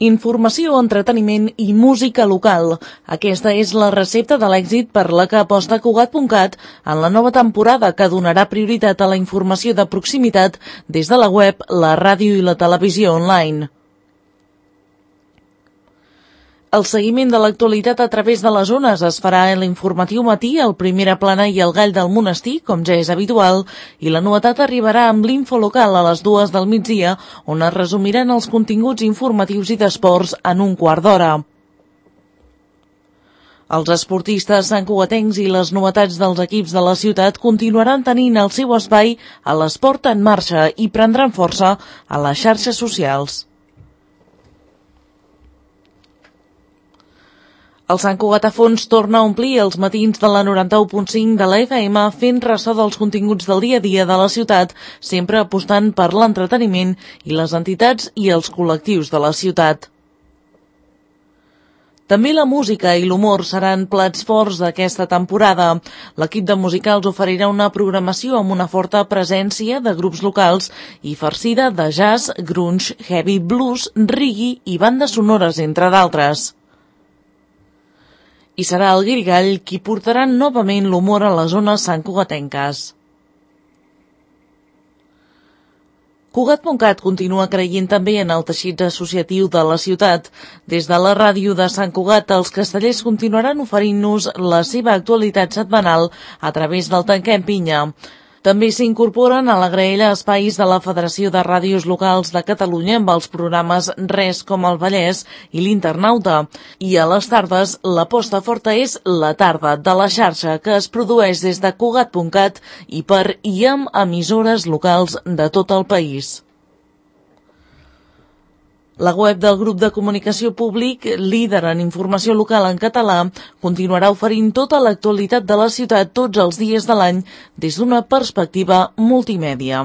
Informació, entreteniment i música local. Aquesta és la recepta de l'èxit per la que aposta Cugat.cat en la nova temporada, que donarà prioritat a la informació de proximitat des de la web, la ràdio i la televisió online. El seguiment de l'actualitat a través de les ones es farà a l'informatiu matí, el Primera Plana i el Gall del Monestir, com ja és habitual, i la novetat arribarà amb l'Info Local a les 2 del migdia, on es resumiran els continguts informatius i d'esports en un quart d'hora. Els esportistes santcugatencs i les novetats dels equips de la ciutat continuaran tenint el seu espai a l'Esport en Marxa i prendran força a les xarxes socials. El Sant Cugat a fons torna a omplir els matins de la 91.5 de la FM, fent ressò dels continguts del dia a dia de la ciutat, sempre apostant per l'entreteniment i les entitats i els col·lectius de la ciutat. També la música i l'humor seran plats forts d'aquesta temporada. L'equip de musicals oferirà una programació amb una forta presència de grups locals i farcida de jazz, grunge, heavy, blues, reggae i bandes sonores, entre d'altres. I serà el Guirigall qui portarà novament l'humor a les zones santcugatenques. Cugat.cat continua creient també en el teixit associatiu de la ciutat. Des de la ràdio de Sant Cugat, els castellers continuaran oferint-nos la seva actualitat setmanal a través del Tanquem Pinya. També s'incorporen a la graella espais de la Federació de Ràdios Locals de Catalunya amb els programes Res com el Vallès i l'Internauta. I a les tardes, l'aposta forta és La Tarda de la xarxa, que es produeix des de Cugat.cat i per i amb emissores locals de tot el país. La web del grup de comunicació públic, líder en informació local en català, continuarà oferint tota l'actualitat de la ciutat tots els dies de l'any des d'una perspectiva multimèdia.